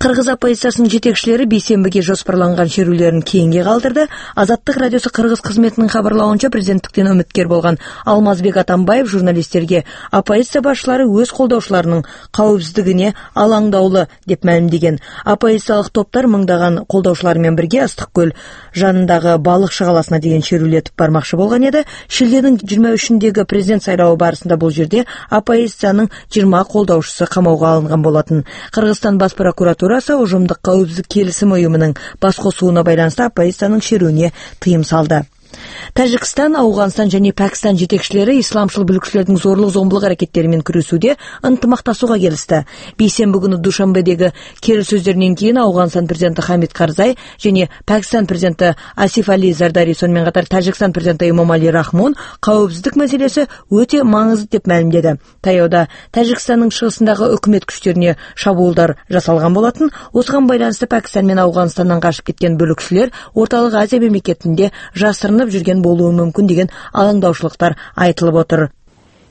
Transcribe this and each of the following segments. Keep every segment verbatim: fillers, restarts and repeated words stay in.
Кыргыз оппозициясынын жетекчилери бейсенбиге жоспарланган шерүүлөрүн кейинге калтырды. Азаттык радиосу Кыргыз кызметинин кабарлауынча, президенттиктен үмүткер болгон Алмазбек Атамбаев журналисттерге оппозиция башчылары өз колдоочуларынын кабылсыздыгына алаңдаулы деп маалимдеген. Оппозициялык топтор мыңдаган колдоочулары менен бирге Ыстык көл жанындагы балык шагаласына деген шерүүлө өтүп бармакчы болгон эди. Шилденин жыйырма үчүндөгү президент сайлообу барысында бул жерде оппозициянын жыйырма колдоочусу камоого алынган болотун. Кыргызстан бас прокуратурасы Ужумдук коопсуздук келисим уюмунун баскосууна байланыштуу оппозициянын шерүүнү тыйым салды. Тажикстан, Ауганстан жана Пакистан жетекчилери исламчыл бүлүкчүлөрдүн зорлук зомбулук аракеттери менен күрөшүүдө ынтымакташууга келишти. Бейсенби күнү Душанбедеги келиссөздөрдөн кийин Ауганстан президенти Хамид Карзай жана Пакистан президенти Асиф Али Зардари, сонун катар Тажикстан президенти Эмомали Рахмон коопсуздук маселеси өтө маңыздуу деп маалимдеди. Таяуда Тажикстандын чыгышындагы өкмөт күчтөрүнө шабуулдар жасалган болотун. Осуга байланыштуу Пакистан менен Ауганстандан качып кеткен бүлүкчүлөр Ортолук Азия мамлекетинде жасырынып жүргөн болуу мүмкүн деген алаңдаушылыктар айтылып отур.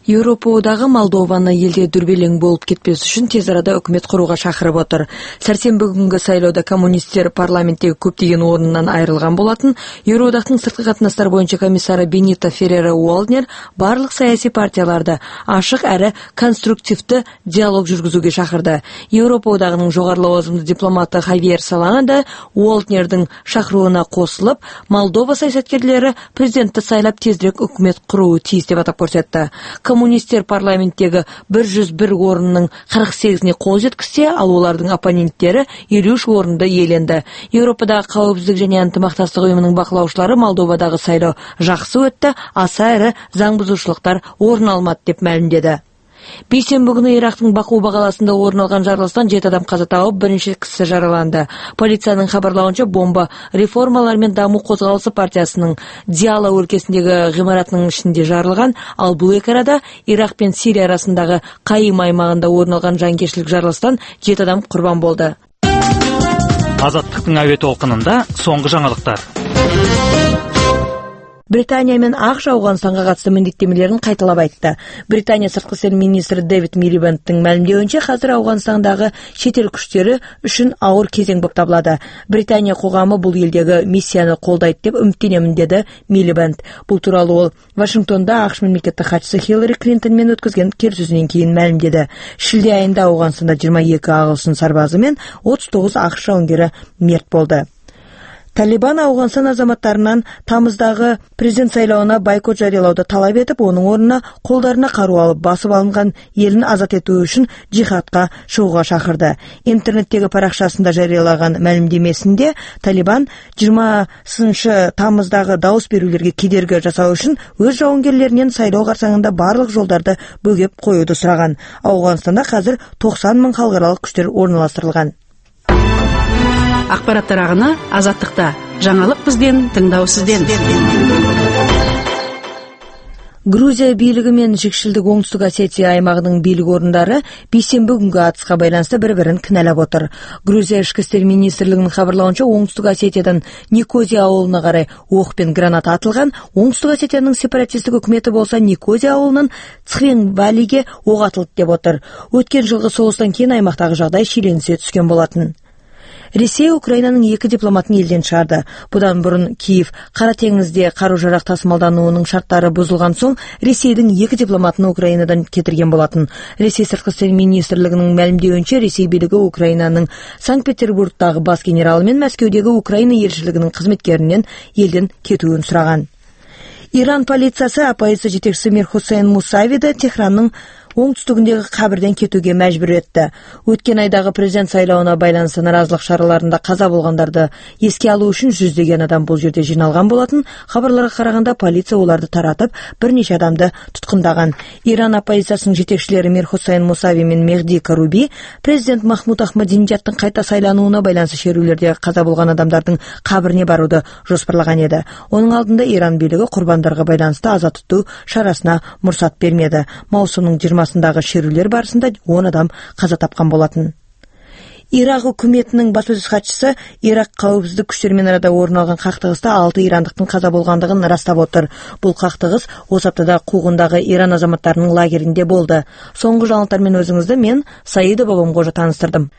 Европадагы Молдованы элде дүрбелең болуп кетпес үчүн тез арада өкмөт курууга чакырып отур. Сәрсенбі күнгө сайлоодо коммунисттер парламенттеги көптөгөн орнунан айрылган болотун. Евродактын сырткы катнаштар боюнча комиссары Бенита Феррера Уолднер барлык саясий партияларды ашык әрі конструктивдүү диалог жүргүзүүгө чакырды. Европа одагынын жогору лауазымдуу дипломаты Хавьер Солана да Уолднердин чакырууна косулуп, Молдова саясаткерлери президентти сайлап тезирээк өкмөт куруу тийиз деп атап көрсөттү. Коммунисттер парламенттеги бир жүз бир орунун кырк сегизине кол жеткизсе, ал улардын оппоненттери элүү үч орунду ээленди. Европадагы коопсуздук жана ынтымакташтык уюмунун бакылаучулары Молдовадагы сайлоо жакшы өттү, аса ири заң бузуушулуктар орун алмады деп маалимдеди. Бейсенбі күнү Ирактын Бакууба каласында орун алган жарылыштан жети адам каза тауып, биринчи киши жараланды. Полициянын кабарлауынча, бомба Реформалар менен дамуу козголуусу партиясынын Диала өлкөсүндөгү гымаратынын ичинде жарылган. Ал бул эки арада Ирак менен Сирия арасындагы Кайым аймагында орун алган жангерчилик жарылыштан жети адам курбан болду. Азаттыктын авиа толкунунда соңку жаңылыктар. Британия менен АКШ Ауганстанга катыштуу милдеттемелерин кайталап айтты. Британия сырткы иштер министри Дэвид Милибандтын маалимдеуинче, азыр Ауганстандагы чет эл күчтөрү үчүн ауыр кезең болуп табылады. Британия кугамы бул элдеги миссияны колдойт деп үмүттөнөмүн, деди Милибанд. Бул тууралуу ол Вашингтонда АКШ мамлекеттик катчысы Хиллари Клинтон менен өткөзгөн келиссөзүнөн кийин маалимдеди. Шилде айында Ауганстанда жыйырма эки агылшын сарбазы менен отуз тогуз АКШ жауынгери мерт болду. Талибан Ауганстан азаматтарынан тамыздагы президент сайлоона бойкот жарыялауды талап этип, онун ордуна колдоруна каруу алып басып алынган элин азат этүү үчүн жихадка чыгууга чакырды. Интернеттеги паракчасында жарыялаган маалимдемесинде Талибан жыйырмасынчы тамыздагы дауыс берүүлөргө кедерги жасоо үчүн өз жауынгерлеринен сайлоо карсаңында барлык жолдорду бөгөп коюуду сураган. Ауганстанда азыр токсон миң халкаралык күчтөр орналаштырылган. Акпараттар агыны Азаттыкта. Жаңылык бизден, тыңдоо сизден. Грузия бийлиги менен Жикшилдик Оңтүстүк Осетия аймагынын бийлик орундары бейсенбі күнгө атыска байланыштуу бири-бирин кыналап отур. Грузия ички иштер министрлигинин кабарлауынча, Оңтүстүк Осетиядан Никозия абылына карай ок пен граната атылган. Оңтүстүк Осетиянын сепаратисттик өкмөтү болсо Никозия абылынын Цхвенвалиге ок атылды деп отур. Өткөн жылкы согуштан кийин аймактагы жагдай шиеленисе түшкөн болотун. Ресей Украинанын эки дипломатын элден чыгарды. Будан бурун Киев Кара теңизде каруу-жарак тасымалдануунун шарттары бузулган соң Ресейдин эки дипломатын Украинадан кетирген болотун. Ресей сырткы иштер министрлигинин маалимдеуинче, Ресей бийлиги Украинанын Санкт-Петербургдагы бас генералы менен Мәскеудөгү Украина элчилигинин кызметкеринен элден кетүүнү сураган. Иран полициясы оппозиция жетекчиси Мирхусейн Мусавиди Техрандын оңтүстүгүндөгү кабирден кетүүгө мажбур этти. Өткөн айдагы президент сайлоона байланыштуу наразылык шараларында каза болгондорду эске алуу үчүн жүздөгөн адам бул жерде жыйналган болотун. Кабарларга караганда, полиция уларды таратып, бир нече адамды туткундаган. Иран оппозициясынын жетекчилери Мирхусейн Мусави менен Мехди Каруби президент Махмуд Ахмадинежадтын кайта сайланууна байланыштуу шерүүлөрдө каза болгон адамдардын кабирине барууду жоспарлаган эди. Онун алдында Иран бийлиги курбандарга байланыштуу аза тутуу шарасына мурсат бермеди. Маусумдун жыйырмасындагы шерүүлөр барысында он адам каза тапкан болотун. Ирак өкмөтүнүн баспасөз катчысы Ирак коопсуздук күчтөрү менен арада орун алган кактыгыста алты ирандыктын каза болгондугун ырастап отур. Бул кактыгыс осы аптада Куугундагы Иран азаматтарынын лагеринде болду. Соңку жаңылыктар менен өзүңүздү мен Саида Бабамгожа тааныстырдым.